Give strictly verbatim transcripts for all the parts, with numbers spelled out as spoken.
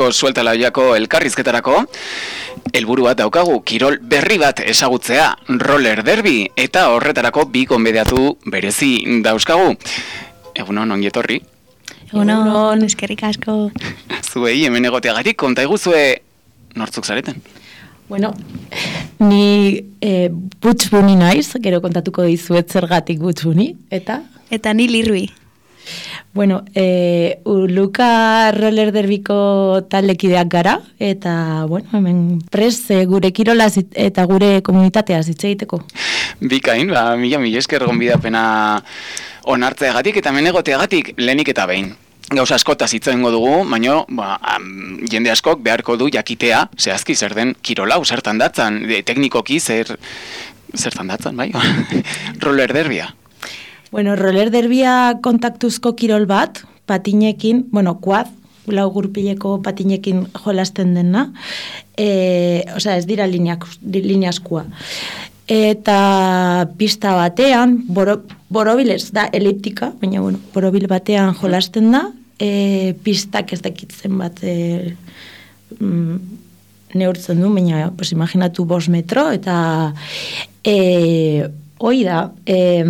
gaurko sueltalaiako elkarrizketarako. Helburu bat daukagu, kirol berri bat ezagutzea, roller derby, eta horretarako bi gonbidatu berezi dauzkagu. Egunon, ongi etorri. Egunon, eskerrik asko. Zuei, hemen egoteagatik, konta eguzue nortzuk zareten? Bueno, ni e, Butch Bunny naiz, gero kontatuko dizuet zergatik Butch Bunny, eta? Eta ni Lirui. Bueno, e, Luka roller derbiko taldekideak gara, eta, bueno, hemen prest e, gure kirola eta gure komunitatea hitz egiteko. Bikain, ba, mila mila esker gonbidapena onartzeagatik eta hemen egoteagatik lehenik eta behin. Gauza askotaz hitz egingo dugu, baina ba, um, jende askok beharko du jakitea, zehazki zer den kirolau, zertan datzan, de, teknikoki zer, zertan datzan, bai? Roller derbia. Bueno, roller derbia kontaktuzko kirol bat, patinekin, bueno, quad, lau gurpileko patinekin jolasten dena, e, osea, ez dira lineaskua. Eta pista batean, boro, borobilez da eliptika, baina bueno, borobil batean jolasten da, e, pistak ez dakitzen bat e, mm, neurtzen du, baina pues, imaginatu bost metro, eta e, hoi da, e,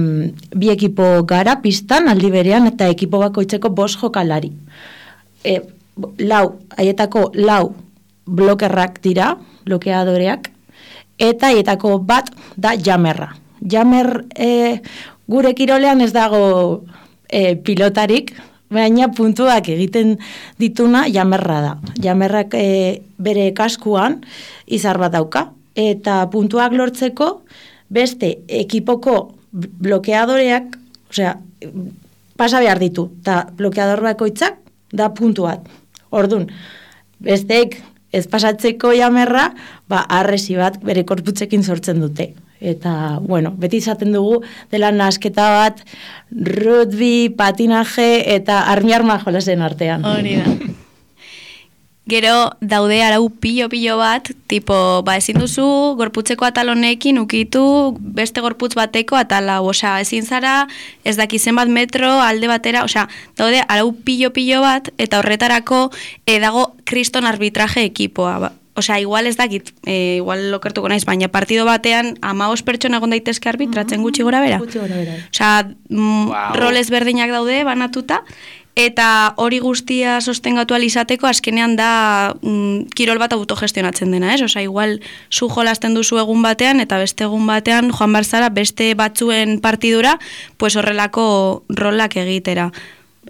bi ekipo gara pistan aldi berean, eta ekipo bakoitzeko bost jokalari. E, lau, haietako lau blokerrak dira, blokeadoreak, eta haietako bat da jamerra. Jamer e, gure kirolean ez dago e, pilotarik, baina puntuak egiten dituna jamerra da. Jamerrak e, bere kaskuan izar bat dauka, eta puntuak lortzeko beste ekipoko blokeadoreak, osea, pasa behar ditu, eta blokeador bakoitzak da puntu bat. Ordun, besteek ez pasatzeko jamerra, ba, arresi bat bere korputzekin sortzen dute. Eta, bueno, beti izaten dugu dela nasketa bat, rugby, patinaje eta armi-arma jolasen artean. Hori da. Gero daude arau pilo-pilo bat, tipo, ba, ezin duzu gorputzeko atal honekin ukitu beste gorputz bateko atala, osea, ezin zara ez daki zenbat metro alde batera, osea, daude arau pilo-pilo bat, eta horretarako e, dago kriston arbitraje ekipoa, ba. Osea, igual ez dakit, e, igual lokertuko naiz, baina partido batean hamabost pertsona egon daitezke arbitratzen gutxi gora bera. Gutxi gora bera. Osea, mm, wow. Roles berdinak daude banatuta, eta hori guztia sostengatu alizateko azkenean da mm, kirol bat autogestionatzen dena, ez? Osea, igual zu jolasten duzu egun batean eta beste egun batean joan barzara beste batzuen partidura, pues horrelako rolak egitera.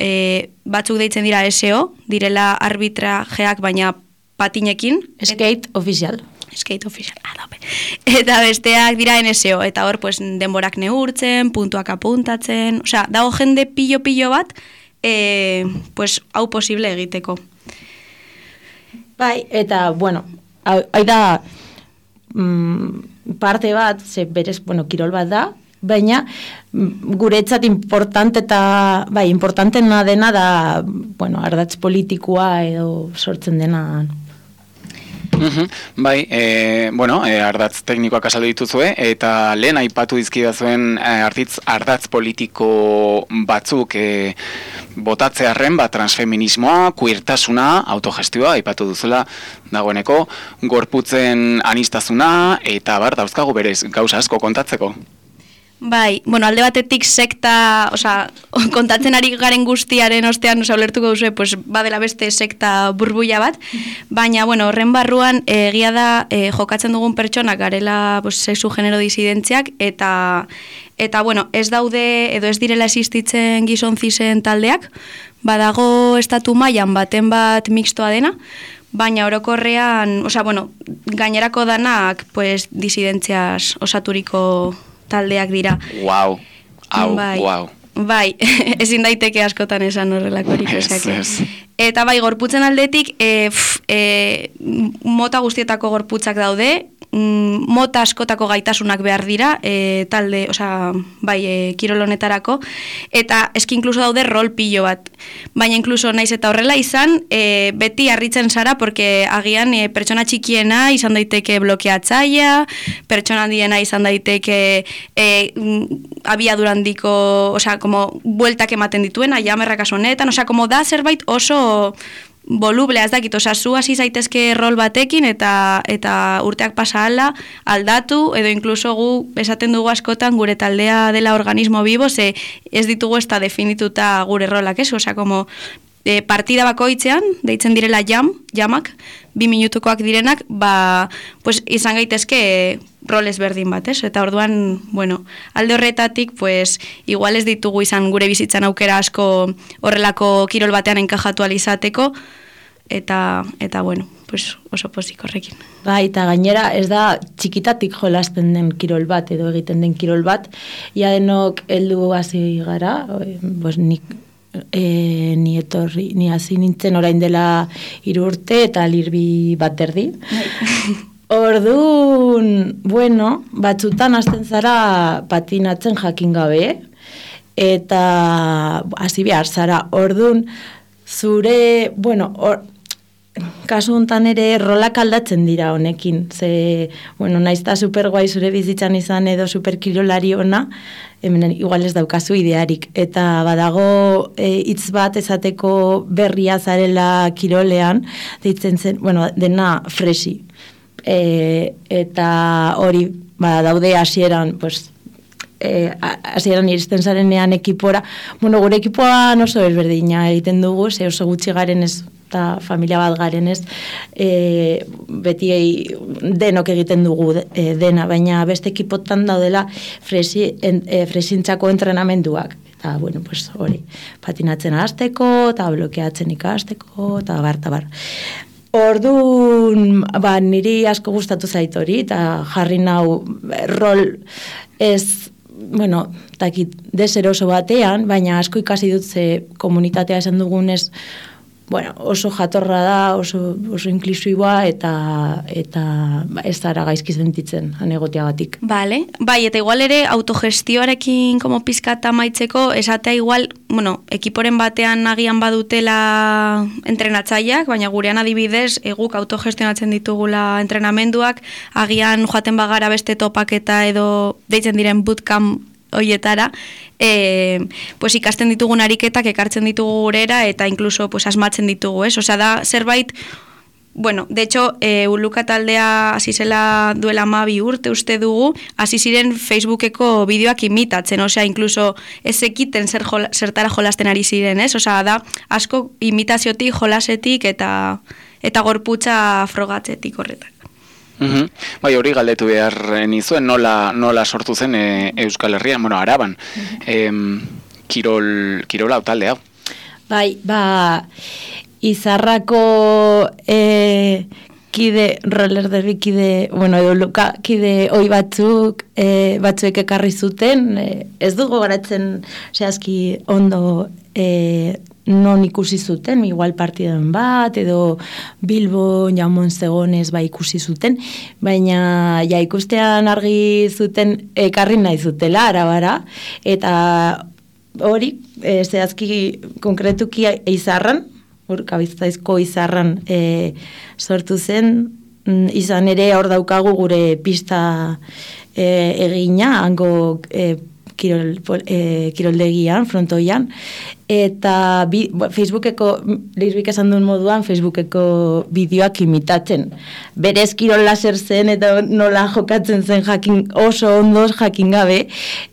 E, batzuk deitzen dira S O, direla arbitrajeak baina patinekin. Skate official. Skate official, adope. Eta besteak dira N S O, eta hor pues, denborak neurtzen, puntuak apuntatzen, osea, dago jende pilo-pilo bat, E, pues, hau posible egiteko. Bai, eta, bueno, hau da mm, parte bat, ze berez, bueno, kirol bat da, baina guretzat importante eta, bai, importantena dena da, bueno, ardatz politikoa edo sortzen dena. Uhum, bai, e, bueno, e, ardatz teknikoak azaldu dituzue, eta lehen aipatu dizkidazuen e, artitz ardatz politiko batzuk e, botatzearren, ba, transfeminismoa, queertasuna, autogestioa, aipatu duzula dagoeneko, gorputzen anistazuna, eta bar, dauzkagu berez, gauza asko kontatzeko. Bai, bueno, alde batetik sekta, osea, kontatzen ari garen guztiaren ostean, osea, ulertuko duzu, pues, badela beste sekta burbuia bat, baina, bueno, horren barruan, egia da, e, jokatzen dugun pertsonak garela, pues, sexu genero disidentziak, eta, eta, bueno, ez daude, edo ez direla existitzen gizon zisen taldeak, badago estatu mailan baten bat mixtoa dena, baina orokorrean, osea, bueno, gainerako danak, pues, disidentziaz osaturiko taldeak dira. Wow, hau, bai, wow. Bai, ezin daiteke askotan esan horrelakorik. Ez, ez. Eta bai, gorputzen aldetik, e, pf, e, mota guztietako gorputzak daude, mota askotako gaitasunak behar dira, e, talde, osea, bai, e, kirol honetarako, eta eski inkluso daude rol pilo bat. Baina inkluso naiz eta horrela izan, e, beti harritzen zara, porque agian e, pertsona txikiena izan daiteke blokeatzaia, pertsona handiena izan daiteke e, abiadurandiko, osea, como bueltak ematen dituena, jamerrak asonetan, osea, como da zerbait oso volublea, ez dakit, oza, zu hasi zaitezke rol batekin eta eta urteak pasa ala, aldatu, edo inkluso gu esaten dugu askotan gure taldea dela organismo bibo, ze ez ditugu ez da definituta gure rolak, ez? Oza, como e, partida bakoitzean, deitzen direla jam, jamak, bi minutukoak direnak, ba, pues, izan gaitezke roles berdin bat, ez? Eta orduan, bueno, alde horretatik, pues, igual ez ditugu izan gure bizitzan aukera asko horrelako kirol batean enkajatu alizateko, eta, eta bueno, pues, oso pozik horrekin. Bai, eta gainera ez da txikitatik jolasten den kirol bat, edo egiten den kirol bat, ia denok heldu hasi gara, pues, nik E, ni etorri, ni hasi nintzen orain dela hiru urte eta lirbi bat erdi. Orduan, bueno, batzutan hasten zara patinatzen jakin gabe, eta hasi behar zara. Orduan, zure, bueno, or, kasu hontan ere rolak aldatzen dira honekin. Ze, bueno, naizta superguai zure bizitzan izan edo superkirolari ona, hemen igual ez daukazu idearik. Eta badago hitz e, bat esateko berria zarela kirolean, deitzen zen, bueno, dena fresi. E, eta hori, ba, daude hasieran, pues, e, hasieran iristen zarenean ekipora. Bueno, gure ekipoan oso ezberdina egiten dugu, ze oso gutxi garen ez, eta familia bat garen ez, e, beti denok egiten dugu e, dena, baina beste ekipotan daudela fresi, en, e, fresintzako entrenamenduak. Eta, bueno, pues hori, patinatzen hasteko, eta blokeatzen ikasteko, eta bar, eta bar. Orduan, ba, niri asko gustatu zait hori, eta jarri nau rol ez, bueno, takit, deseroso batean, baina asko ikasi dut ze komunitatea esan dugunez, bueno, oso jatorra da, oso, oso inklusiboa eta eta ez zara gaizki sentitzen anegoteagatik. Vale, bai, eta igual ere autogestioarekin como pizkata maitzeko, esatea igual, bueno, ekiporen batean agian badutela entrenatzaileak, baina gurean adibidez, eguk autogestionatzen ditugula entrenamenduak, agian joaten bagara beste topaketa edo deitzen diren bootcamp hoietara, e, pues ikasten ditugun ariketak ekartzen ditugu gurera eta incluso pues asmatzen ditugu, ez? Osea, da zerbait, bueno, de hecho, e, Uluka taldea hasi zela duela hamabi urte uste dugu, hasi ziren Facebookeko bideoak imitatzen, osea, incluso ez ekiten zer jola, zertara jolasten ari ziren, ez? Osea, da asko imitaziotik, jolasetik eta eta gorputza frogatzetik horretak. Uhum. Bai, hori galdetu behar nizuen, nola, nola sortu zen e, Euskal Herrian, bueno, Araban, e, kirol, kirola talde hau. Bai, ba, Izarrako e, kide, roller derbi kide, bueno, edo luka kide hoi batzuk, e, batzuek ekarri zuten, e, ez dugu garatzen zehazki ondo e, non ikusi zuten, igual partidan bat, edo Bilbo, Jamon Zegonez ba ikusi zuten, baina ja ikustean argi zuten ekarri nahi zutela, Arabara, eta hori, e, zehazki konkretuki Izarran, hor Kabizkaiko Izarran e, sortu zen, izan ere hor daukagu gure pista e, egina, hango e, kirol, e, kiroldegian, frontoian, eta bi, Facebookeko, Lirbik esan duen moduan, Facebookeko bideoak imitatzen. Berez kirol laser zen, eta nola jokatzen zen jakin, oso ondoz jakin gabe,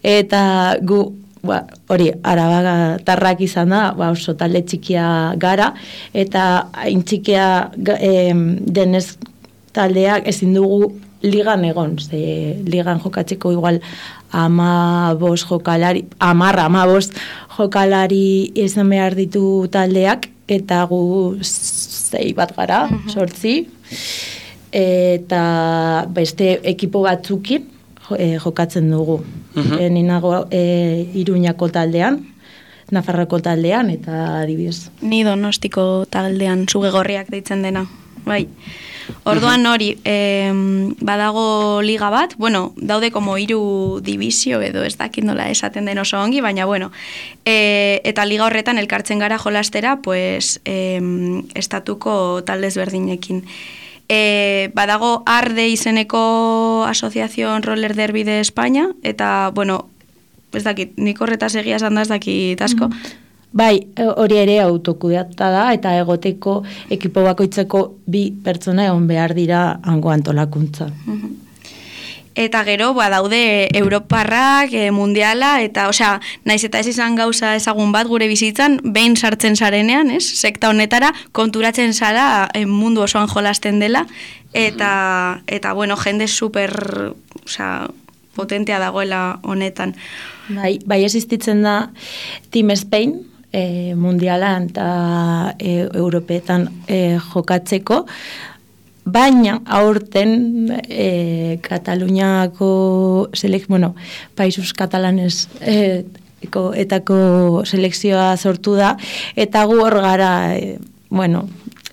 eta gu, ba, hori, Araba tarrak izan da, ba, oso talde txikia gara, eta hain txikia e, denez taldeak ezin dugu ligan egon, ze ligan jokatzeko igual ama bost jokalari, amarra, ama bost jokalari izan behar ditu taldeak, eta gu zei bat gara, sortzi, eta beste ekipo batzukin jokatzen dugu. Uh-huh. E, ninago e, Iruñako taldean, Nafarroko taldean, eta adibidez. Ni Donostiko taldean, Zugegorriak deitzen dena, bai. Orduan hori, eh, badago liga bat, bueno, daude como hiru divisio edo ez dakit nola esaten den oso ongi, baina bueno, eh, eta liga horretan elkartzen gara jolastera, pues, eh, estatuko taldez berdinekin. Eh, badago Arde izeneko Asociación Roller Derby de España, eta, bueno, ez dakit, nik horretaz egia esan da ez dakit asko. Bai, hori ere autokudeata da, eta egoteko ekipo bakoitzeko bi pertsona egon behar dira hango antolakuntza. Eta gero, ba, daude Europarrak, e, mundiala, eta, osea, naiz eta ez izan gauza ezagun bat gure bizitzan, behin sartzen zarenean, ez? Sekta honetara, konturatzen zara e, mundu osoan jolasten dela, eta, eta bueno, jende super, osea, potentea dagoela honetan. Bai, bai existitzen da Team Spain, e, mundialan eta e, Europeetan e, jokatzeko, baina aurten e, Kataluniako selek, bueno, Països Catalanes e, eko, etako selekzioa sortu da, eta gu hor gara, e, bueno,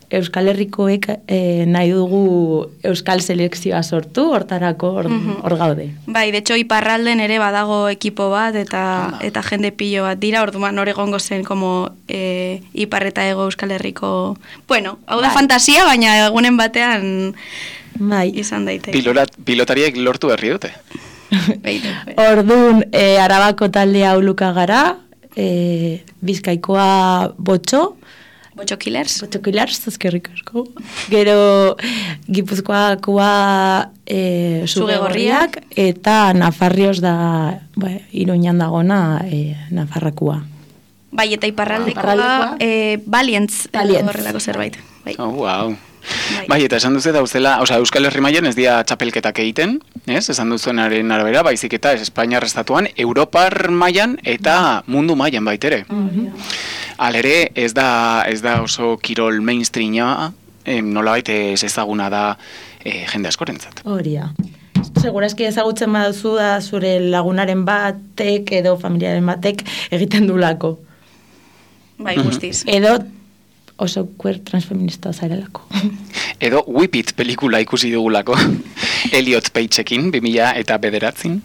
Euskal Herrikoek e, nahi dugu Euskal Selekzioa sortu, hortarako hor, hor gaude. Bai, de hecho, iparralden ere badago ekipo bat, eta eta jende pilo bat dira, orduan hor egongo zen, como e, ipar eta ego Euskal Herriko... Bueno, hau da bai. Fantasia, baina egunen batean bai. Izan daite. Pilorat, pilotariek lortu berri dute. Orduan, e, Arabako taldea uluka gara, e, Bizkaikoa botxo, Botxo Killers. Botxo Killers, ezkerrik asko. Gero Gipuzkoakoa e, Zuge Gorriak, eta Nafarrioz da, ba, Iruñan dagona e, Nafarrakua. Bai, eta iparraldekoa e, Valiantz, horrelako zerbait. Bai. Oh, wow. Bai. Bai, eta esan duzu dauzela, osea, Euskal Herri mailan ez dira txapelketak egiten, ez? Esan duzuenaren arabera, baizik eta ez Espainiar estatuan, Europar mailan eta mundu mailan baitere. Mm-hmm. Alere, ez da, ez da oso kirol mainstreama, eh, nolabait ez ezaguna da eh, jende askorentzat. Horia. Segurazki ezagutzen baduzu da zure lagunaren batek edo familiaren batek egiten dulako. Bai, guztiz. Edo oso queer transfeminista zarelako. Edo Whip It pelikula ikusi dugulako. Elliot Pageekin, bi mila eta bederatzin.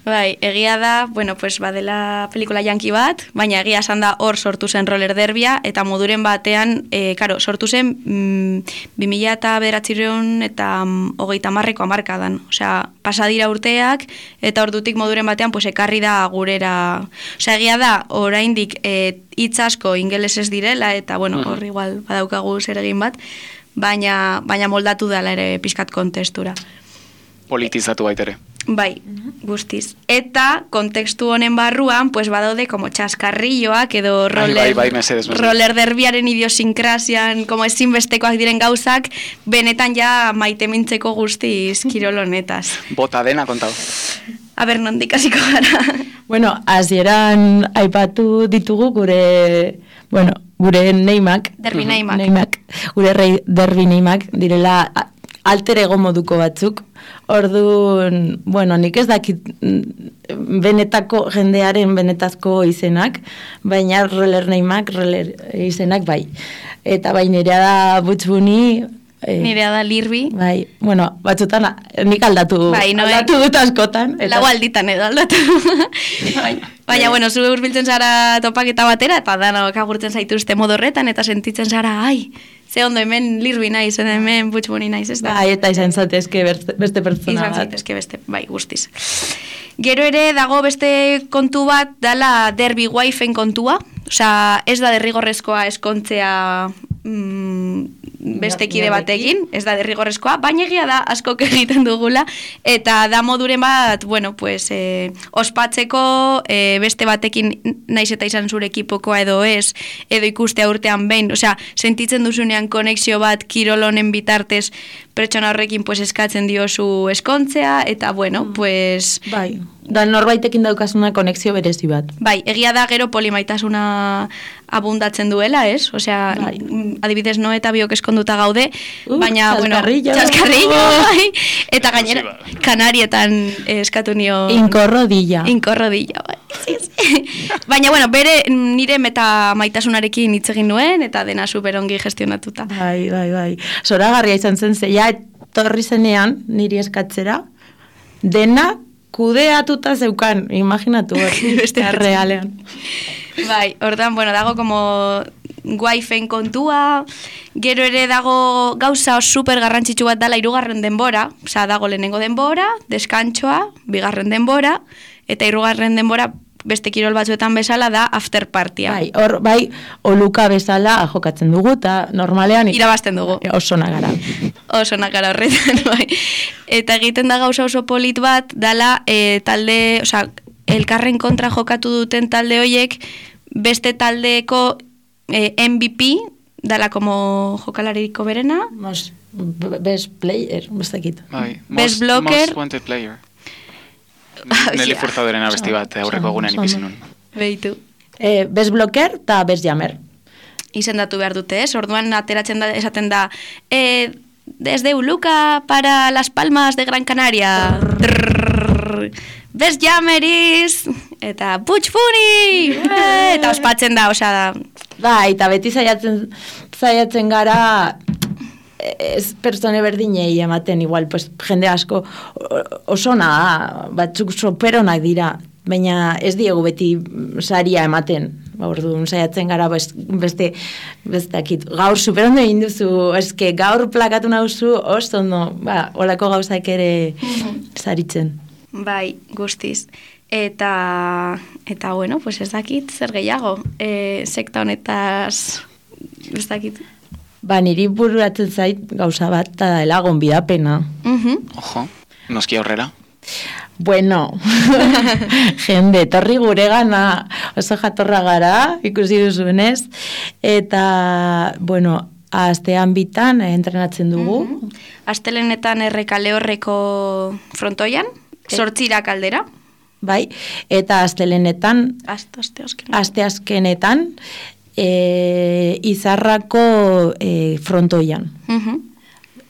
Bai, egia da, bueno, pues badela pelikula janki bat, baina egia esan da hor sortu zen roller derbia, eta moduren batean, e, karo, sortu zen mm, bi mila eta bederatzireun eta mm, hogeita marreko amarkadan. Osea, pasadira urteak, eta ordutik moduren batean, pues ekarri da gurera. Osea, egia da, oraindik e, hitz asko ingelesez direla, eta, bueno, hor igual badaukagu zer egin bat, baina, baina moldatu dela ere pixkat kontestura. Politizatu baitere. Bai, guztiz. Eta kontekstu honen barruan, pues badaude como txaskarrilloak edo roller, bai, bai, mesedez, mesedez. roller derbiaren idiosinkrasian, como ezinbestekoak diren gauzak, benetan ja maite mintzeko guztiz kirol honetaz. Bota dena kontau. A ber, nondik hasiko gara. Bueno, hasieran aipatu ditugu gure, bueno, gure neimak. Derbi neimak. Neimak. Gure rei derbi neimak direla alter ego moduko batzuk. Orduan, bueno, nik ez dakit benetako jendearen benetazko izenak, baina roller neimak, roller izenak bai. Eta bai nirea da Butxbuni, eh, nirea da Lirbi. Bai, bueno, batzutan nik aldatu, bai, no, aldatu dut askotan. Eta... Lau alditan edo aldatu. Bai. Baina, bueno, zu urbiltzen zara topaketa batera, eta danok agurtzen zaituzte modorretan, eta sentitzen zara, ai, ze ondo hemen Lirbi naiz, hemen Butxbuni naiz, ez da? Bai, eta izan zatezke beste pertsona izan bat. Izan zatezke beste, bai, guztiz. Gero ere dago beste kontu bat, dala derbi waifen kontua, osea, ez da derrigorrezkoa eskontzea mm, beste kide batekin, ez da derrigorrezkoa, baina egia da askok egiten dugula, eta da moduren bat, bueno, pues, eh, ospatzeko eh, beste batekin naiz eta izan zure ekipokoa edo ez, edo ikustea urtean behin, osea, sentitzen duzunean konexio bat kirol honen bitartez pertsona horrekin pues, eskatzen diozu eskontzea, eta bueno, pues... Bai, da norbaitekin daukasuna konexio berezi bat. Bai, egia da gero polimaitasuna abundatzen duela, ez? Osea, bai. Adibidez no eta biok eskonduta gaude, uh, baina, txaskarrillo. bueno, txaskarrillo, bai. Eta gainera, Kanarietan eskatu nio... Inkorrodilla. Inkorrodilla, bai. Sí, sí. Baina, bueno, bere nire meta maitasunarekin hitz egin nuen, eta dena superongi gestionatuta. Bai, bai, bai. Zoragarria izan zen zeia, torri zenean, niri eskatzera, dena kudeatuta zeukan, imaginatu hori, beste realean. Bai, ordan, bueno, dago como waifen kontua, gero ere dago gauza super garrantzitsu bat dala hirugarren denbora, osea, dago lehenengo denbora, deskantsoa, bigarren denbora, eta hirugarren denbora beste kirol batzuetan bezala da after partya. Bai, hor, bai, oluka bezala jokatzen dugu, eta normalean irabazten dugu. Oso nagara. Oso nagara horretan, bai. Eta egiten da gauza oso polit bat, dala e, talde, osea, elkarren kontra jokatu duten talde hoiek, beste taldeko e, M V P, dala como jokalariko berena. Most, best player, bestakit. Bai, best most, blocker. most wanted player. Nelly Furtadoren abesti bat aurreko egunean ikusi nun. Behitu. Eh, best blocker eta best jammer. Izendatu behar dute, ez? Orduan ateratzen da, esaten da, eh, desde Uluca para Las Palmas de Gran Canaria. Trrr, best jammeris! Eta Butch Funny! Eta ospatzen da, osea da. Bai, eta beti zaiatzen, zaiatzen gara ez pertsone berdinei ematen, igual, pues, jende asko osona, batzuk soperonak dira, baina ez diegu beti saria ematen. Orduan saiatzen gara beste bestakit. Gaur superondo egin duzu, eske gaur plakatu nauzu, oso ondo, ba, olako gauzak ere saritzen. Bai, guztiz. Eta, eta bueno, pues ez dakit zer gehiago, e, sekta honetaz, ez dakit. Ba, niri bururatzen zait gauza bat, eta dela gonbidapena. Uh-huh. Ojo, noski aurrera. Bueno, jende, torri gure gana, oso jatorra gara, ikusi duzuenez, eta, bueno, astean bitan entrenatzen dugu. Uh-huh. Astelenetan errekale horreko frontoian, sortzira kaldera. Bai, eta astelenetan, Aste, aste, azkenetan. aste azkenetan, e, izarrako e, frontoian. Uh-huh.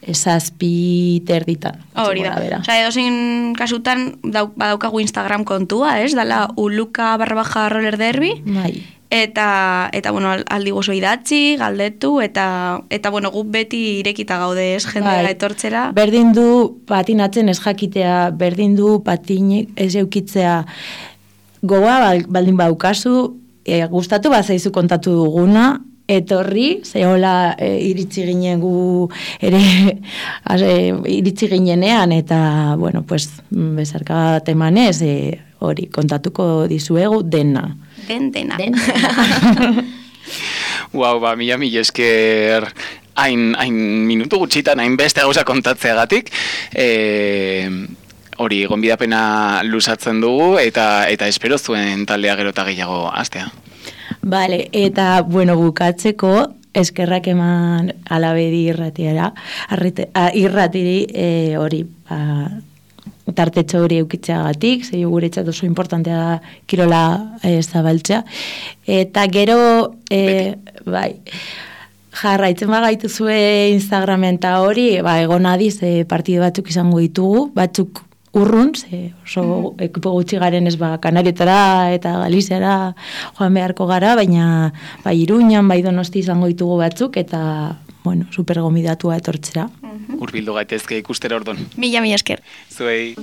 Zazpi terditan. Hori da. Osa, edozein kasutan dauk, badaukagu Instagram kontua, ez? Dala uluka barra baja roller derby. Bai. Eta, eta bueno, aldi gozo idatzi, galdetu, eta, eta bueno, guk beti irekita gaude, ez? Jendea Bai. etortzera. Berdin du patinatzen ez jakitea, berdin du patinik ez eukitzea gogoa baldin baukazu, e, gustatu bazaizu kontatu duguna, etorri, zehola e, iritsi ginen gu ere ase, iritsi ginenean, eta, bueno, pues, bezarka bat emanez, e, hori, kontatuko dizuegu dena. Den dena. Den dena. Wow, ba, mila mila esker hain, hain minutu gutxitan, hain beste gauza kontatzeagatik. E, hori, gonbidapena lusatzen dugu, eta eta espero zuen taldea gero eta gehiago astea. Vale, eta, bueno, bukatzeko, eskerrak eman alabedi irratiara, arrite, a, irratiri e, hori, ba, tartetxo hori eukitzeagatik, zei guretzat oso importantea da kirola e, zabaltzea. Eta gero, e, bai, jarraitzen bagaitu zue Instagramen eta hori, ba, egon adiz e, partide batzuk izango ditugu, batzuk urrun, ze oso mm. ekipo gutxi garen ez ba, Kanarietara eta Galiziara joan beharko gara, baina ba, Iruñan, bai Donosti izango ditugu batzuk, eta, bueno, super gomidatua etortzera. Hurbildu gaitezke ikustera ordon. Mila, mila esker. Zuei.